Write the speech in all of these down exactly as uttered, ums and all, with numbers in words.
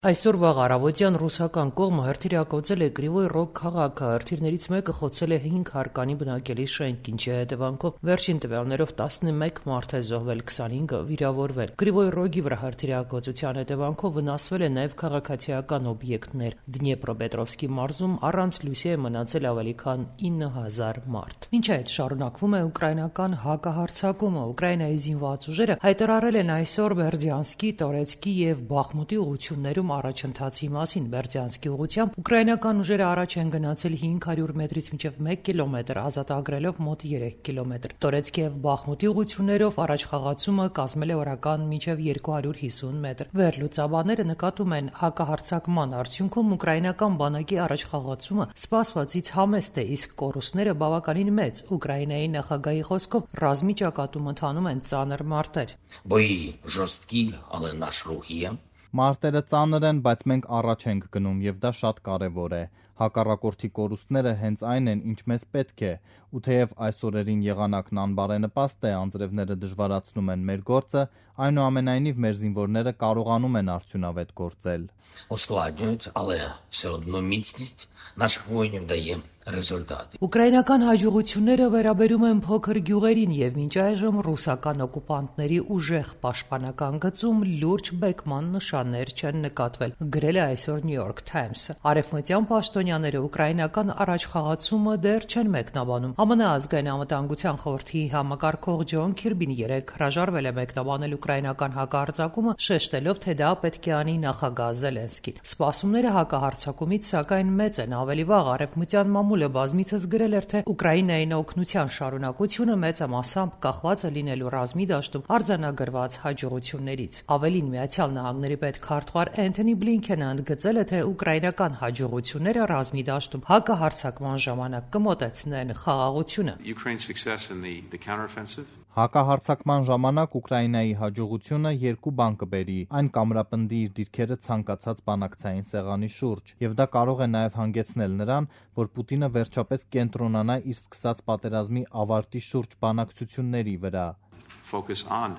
Այսօր վաղ առավոտյան ռուսական կողմը հրթիռակոծել է Կրիվոյ Ռոգ քաղաքը, հրթիռներից մեկը խոցել է հինգ հարկանի բնակելի շենք, ինչի հետևանքով վերջին տվյալներով տասնմեկ մարդ է զոհվել, քսանհինգը վիրավորվել։ Կրիվոյ Ռոգի վրա հրթիռակոծության հետևանքով վնասվել է նաև քաղաքացիական օբյեկտներ։ Դնեպրոպետրովսկի մարզում առանց լույսի է մնացել ավելի քան ինը հազար մարդ։ Մինչ այդ շարունակվում է ուկրաինական հակահարձակումը։ Ուկրաինայի զինված ուժերը հայտարարել են այսօր Բերդյանսկի, Տորեցկի եւ Բախմուտի ուղություններում առաջընթացի մասին։ Բերդյանսկի ուղությամբ ուկրաինական ուժերը առաջ են գնացել հինգ հարյուր մետրից մինչև մեկ կիլոմետր, ազատագրելով մոտ երեք կիլոմետր։ Տորեցկի եւ Բախմուտի ուղություններով առաջխաղացումը կազմել է օրական մինչև երկու հարյուր հիսուն մետր։ Վերլուծաբանները նկատում են հակահարձակման արդյունքում ուկրաինական բանակի առաջխաղացումը սպասվածից համեստ է, իսկ կորուստները բավականին մեծ։ Ուկրաինայի նախագահի խոսքով ռազմի ճակատում ընթանում են ծանր մարտեր։ Բոյի ժոստկի, ale наш рух є. Մարտերը ծանր են, բայց մենք առաջ ենք գնում եւ դա շատ կարեւոր է։ Հակառակորդի կորուստները հենց այն են, ինչ մեզ պետք է, ու թեև այս օրերին եղանակն անբարենպաստ է, անձրևները դժվարացնում են մեր գործը, այնուամենայնիվ մեր զինվորները կարողանում են արդյունավետ գործել։ Ускладнюють, але все одно міцність наших воїнів дає результати. Ուկրաինական հաջողությունները վերաբերում են փոքր գյուղերին եւ մինչ այժմ ռուսական օկուպանտների ուժեղ պաշտպանական գծում լուրջ բեկման նշաններ չեն նկատվել, գրել է այսօր New York Times-ը։ Արևմտյան պաշտոնյաները ուկրաինական առաջխաղացումը դեռ չեն մեկնաբանում։ ԱՄՆ ազգային անվտանգության խորհրդի համակարգող Ջոն Քիրբին երեկ հրաժարվել է մեկնաբանել ուկրաինական հակահարձակումը, շեշտելով, թե դա պետք է անի նախագահ Զելենսկին։ Սպասումները հակահարձակումից սակայն մեծ են։ Ավելի վաղ արևմտյան մամուլը բազմիցս գրել էր, թե Ուկրաինային օգնության շարունակությունը մեծամասամբ կախված է լինելու ռազմի դաշտում արձանագրված հաջողություններից։ Ավելին, Միացյալ Նահանգների պետքարտուղար Էնթոնի Բլինքենը ընդգծել է, թե ուկրաինական հաջողությունները ռազմի դաշտում հակահարձակման ժամանակ կմոտեցնեն խաղաղությունը։ Հակահարձակման ժամանակ Ուկրաինայի հաջողությունը երկու բան կբերի. այն կամրապնդի իր դիրքերը ցանկացած բանակցային սեղանի շուրջ, եւ դա կարող է նաեւ հանգեցնել նրան, որ Պուտինը վերջապես կենտրոնանա իր սկսած պատերազմի ավարտի շուրջ բանակցությունների վրա։ Focus on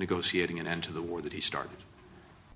negotiating an end to the war that he started.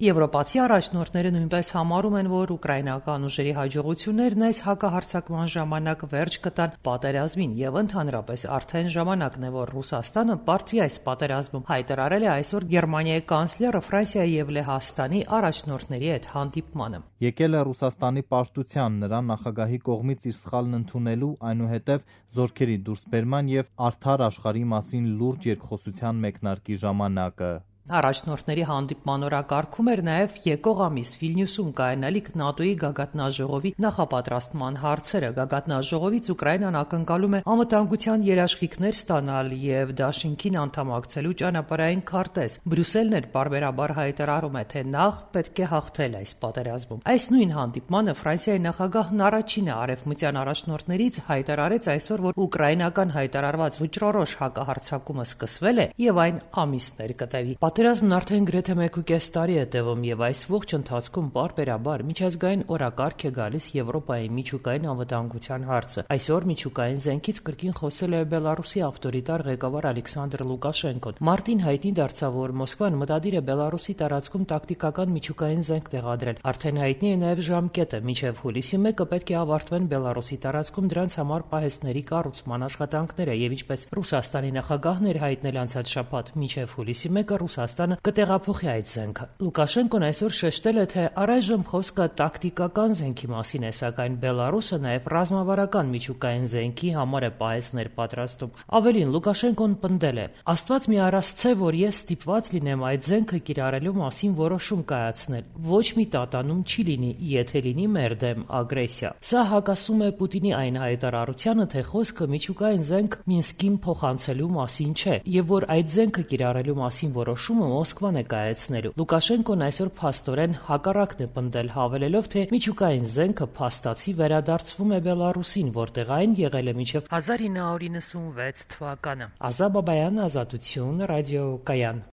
Եվրոպացի առաջնորդները նույնպես համարում են, որ ուկրաինական ուժերի հաջողություններն այս հակահարձակման ժամանակ վերջ կտան պատերազմին եւ ընդհանրապես արդեն ժամանակն է, որ Ռուսաստանը պարտվի այս պատերազմում, հայտարարել է այսօր Գերմանիայի կանցլերը Ֆրանսիայի եւ Լեհաստանի առաջնորդների հետ հանդիպմանը։ Եկել է Ռուսաստանի պարտության նրա նախագահի կողմից իր սխալն ընդունելու, այնուհետև զորքերի դուրսբերման եւ արդար աշխարհի մասին լուրջ երկխոսության մեկնարկի ժամանակը։ Առաջնորդների հանդիպման օրակարգում էր նաև եկող ամիս Վիլնյուսում կայանալիք ՆԱՏՕ-ի գագաթնաժողովի նախապատրաստման հարցերը։ Գագաթնաժողովից Ուկրաինան ակնկալում է անվտանգության երաշխիքներ ստանալ եւ դաշինքին անդամակցելու ճանապարհային քարտեզ։ Բրյուսելն էլ պարբերաբար հայտարարում է, թե նախ պետք է հաղթել այս պատերազմում։ Այս նույն հանդիպմանը Ֆրանսիայի նախագահն առաջինը արևմտյան առաջնորդներից հայտարարեց այսօր, որ ուկրաինական հայտարարված վճռորոշ հակահարձակումը սկսվել է եւ այն ամիսներ կտևի։ Պատերազմն արդեն գրեթե մեկուկես տարի է տևում եւ այս ողջ ընթացքում պարբերաբար միջազգային օրակարգ է գալիս Եվրոպայի միջուկային անվտանգության հարցը։ Այսօր միջուկային զենքից կրկին խոսել է Բելարուսի ավտորիտար ղեկավար Ալեքսանդր Լուկաշենկոն։ Մարտին հայտնի դարձավ, որ Մոսկվան մտադիր է Բելարուսի տարածքում տակտիկական միջուկային զենք տեղադրել։ Արդեն հայտնի է նաեւ ժամկետը՝ մինչեւ հուլիսի մեկը պետք է ավարտվեն Բելարուսի տարածքում դրանց համար պահեստների կառուցման աշխատանքները եւ ինչպես Ռուսաստանի նախագահն էր հայտնել անցած շաբաթ, մինչեւ հուլիսի մեկը Ռուսաստանը կտեղափոխի այդ զենքը։ Լուկաշենկոն այսօր շեշտել է, թե առայժմ խոսքը տակտիկական զենքի մասին է, սակայն Բելարուսը նաև ռազմավարական միջուկային զենքի համար է պահեստներ պատրաստում։ Ավելին, Լուկաշենկոն պնդել է. «Աստված մի առասցե, որ ես ստիպված լինեմ այդ զենքը կիրառելու մասին որոշում կայացնել։ Ոչ մի տատանում չի լինի, եթե լինի մեր դեմ ագրեսիա»։ Սա հակասում է Պուտինի այն հայտարարությանը, թե խոսքը միջուկային զենք Մինսկին փոխանցելու մասին չէ, եւ որ այդ զենքը կիրառելու մասին որոշումը Մոսկվան է կայացնելու։ Լուկաշենկոն այսօր փաստորեն հակառակն է պնդել, հավելելով, թե միջուկային զենքը փաստացի վերադարձվում է Բելարուսին, որտեղ այն եղել է մինչև հազար ինը հարյուր նվաթ վեց թվականը։ Ազա Բաբայան, Ազատություն, ռադիոկայան։